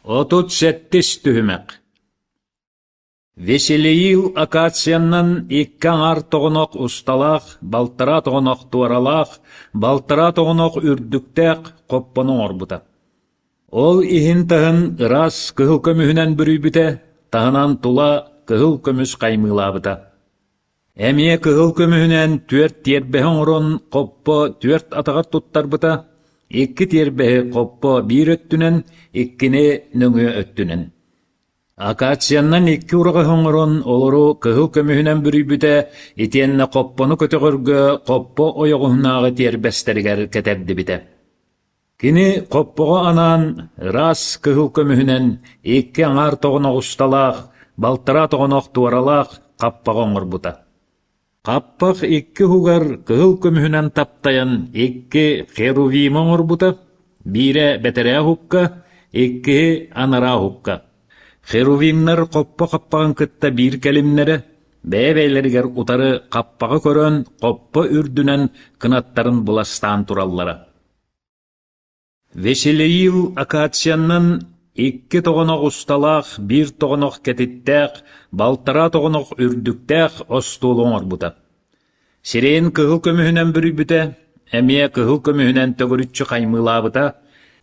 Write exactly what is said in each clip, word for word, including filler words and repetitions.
Отут сэттис түһүмэх Веселиил акациянан икки аҥаар тоҕонох усталаах, балтараа тоҕонох туоралаах, балтараа тоҕонох үрдүктээх хоппону оҥорбута. Ол иһин-таһын ыраас кыһыл көмүһүнэн бүрүйбүтэ, таһынан тула кыһыл көмүс хаймыылаабыта. Эмиэ кыһыл көмүһүнэн түөрт тиэрбэһи оҥорон хоппо түөрт атаҕар туттарбыта, икки тиэрбэһи хоппо биир өттүнэн, иккини нөҥүө өттүнэн. Акациянан икки ураҕаһы оҥорон, олору кыһыл көмүһүнэн бүрүйбүтэ, итиэннэ хоппону көтөҕөргө хоппо ойоҕоһунааҕы тиэрбэстэригэр кэтэрдибитэ. Кини хоппоҕо анаан ыраас кыһыл көмүһүнэн икки аҥаар тоҕонох усталаах, балтараа тоҕонох туоралаах хаппаҕы оҥорбута. Хаппах икки уһугар кыһыл көмүһүнэн таптайан икки херувимы оҥорбута, биирэ бэтэрээ уһукка, иккиһи анараа уһукка. Херувимнар хоппо хаппаҕын кытта биир кэлимнэрэ, бэйэ-бэйэлэригэр утары хаппаҕы көрөн хоппо үрдүнэн кынаттарын быластаан тураллара. Веселиил акациянан икки тоҕонох усталаах, биир тоҕонох кэтиттээх, балтараа тоҕонох үрдүктээх остуолу оҥорбута. Сирэйин кыһыл көмүһүнэн бүрүйбүтэ, эмиэ кыһыл көмүһүнэн төгүрүччү хаймыылаабыта,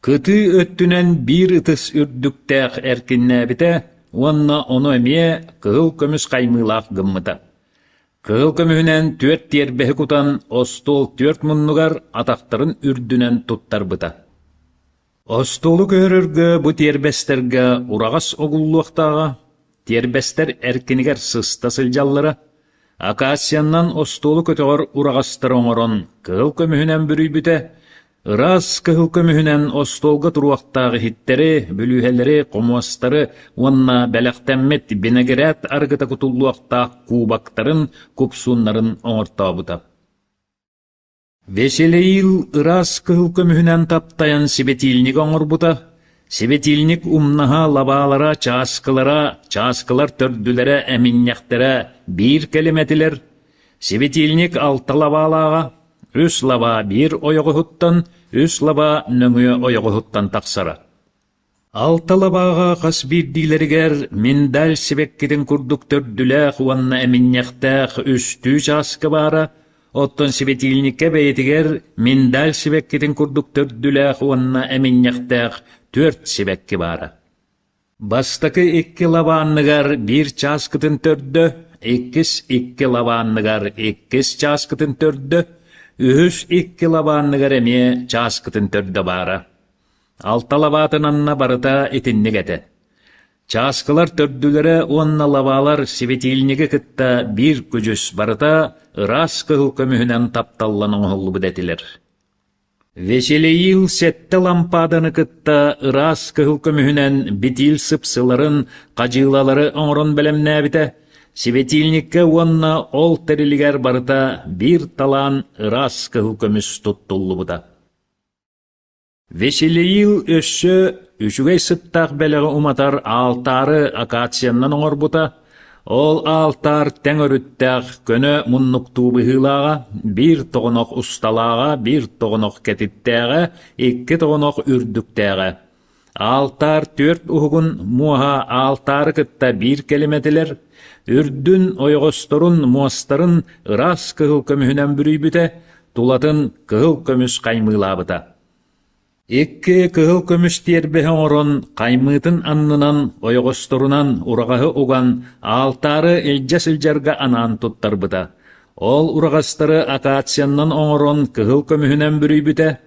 кытыы өттүнэн биир ытыс үрдүктээх эркиннээбитэ уонна ону эмиэ кыһыл көмүс хаймыылаах гыммыта. Кыһыл көмүһүнэн түөрт тиэрбэһи кутан остуол түөрт муннугар атахтарын үрдүнэн туттарбыта. Остуолу көһөрөргө бу тиэрбэстэргэ ураҕас угуллуохтааҕа, тиэрбэстэр эркинигэр сыста сылдьаллара, акациянан остуолу көтөҕөр ураҕастары оҥорон кыһыл көмүһүнэн бүрүйбүтэ, ыраас кыһыл көмүһүнэн остуолга туруохтаах иһиттэри, бүлүүһэлэри, хомуостары уонна бэлэхтэммит бинэгирээт арыгыта кутуллуохтаах кубоктарын, купсууннарын оҥортообута. Веселиил ыраас кыһыл көмүһүнэн таптайан сибэтиилник оҥорбута, сибэтиилник умнаһа лабаалара, чааскылара, чааскылар төрдүлэрэ, эминньэхтэрэ биир кэлим этилэр. Сибэтиилник алта лабаалааҕа, үс лабаа биир ойоҕоһуттан, үс лабаа нөҥүө ойоҕоһуттан тахсара. Алта лабааҕа хас биирдиилэригэр миндаль сибэккитин курдук төрдүлээх уонна эминньэхтээх үстүү чааскы баара, оттон сибэтиилниккэ бэйэтигэр миндаль сибэккитин курдук төрдүлээх уонна эминньэхтээх түөрт сибэкки баара. Бастакы икки лабаанныгар биир чааскытын төрдө, иккис икки лабаанныгар иккис чааскытын төрдө, үһүс икки лабаанныгар эмиэ чааскытын төрдө баара. Алта лабаатын анна барыта итинник этэ. Чааскылар төрдүлэрэ уонна лабаалар сибэтиилниги кытта биир күдьүс барыта ыраас кыһыл көмүһүнэн тапталлан оҥоһуллубут этилэр. Веселиил сэттэ лампаданы кытта ыраас кыһыл көмүһүнэн битиил сыпсыларын, хадьыылалары оҥорон бэлэмнээбитэ, сибэтиилниккэ уонна ол тэрилигэр барыта биир талаан ыраас кыһыл көмүс туттуллубута. Веселиил өссө үчүгэй сыттаах бэлэҕи уматар аалтаары акациянан оҥорбута, ол аалтаар тэҥ өрүттээх көнө муннуктуу быһыылааҕа, биир тоҕонох усталааҕа, биир тоҕонох кэтиттээҕэ, икки тоҕонох үрдүктээҕэ. Аалтаар түөрт уһугун муоһа аалтаары кытта биир кэлим этилэр, үрдүн, ойоҕосторун, муостарын ыраас кыһыл көмүһүнэн бүрүйбүтэ, тулатын кыһыл көмүс хаймыылаабыта. Икки кыһыл көмүс тиэрбэһи оҥорон, хаймыытын аннынан, ойоҕосторунан ураҕаһы уган, аалтаары илдьэ сылдьарга анаан туттарбыта. Ол ураҕастары акациянан оҥорон кыһыл көмүһүнэн бүрүйбүтэ.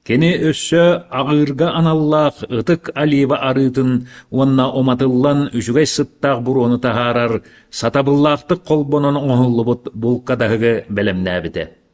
Кини өссө аҕыырга аналлаах ытык олива арыытын уонна уматыллан үчүгэй сыттаах буруону таһаарар сатабыллаахтык холбонон оҥоһуллубут булкадаһыгы бэлэмнээбитэ.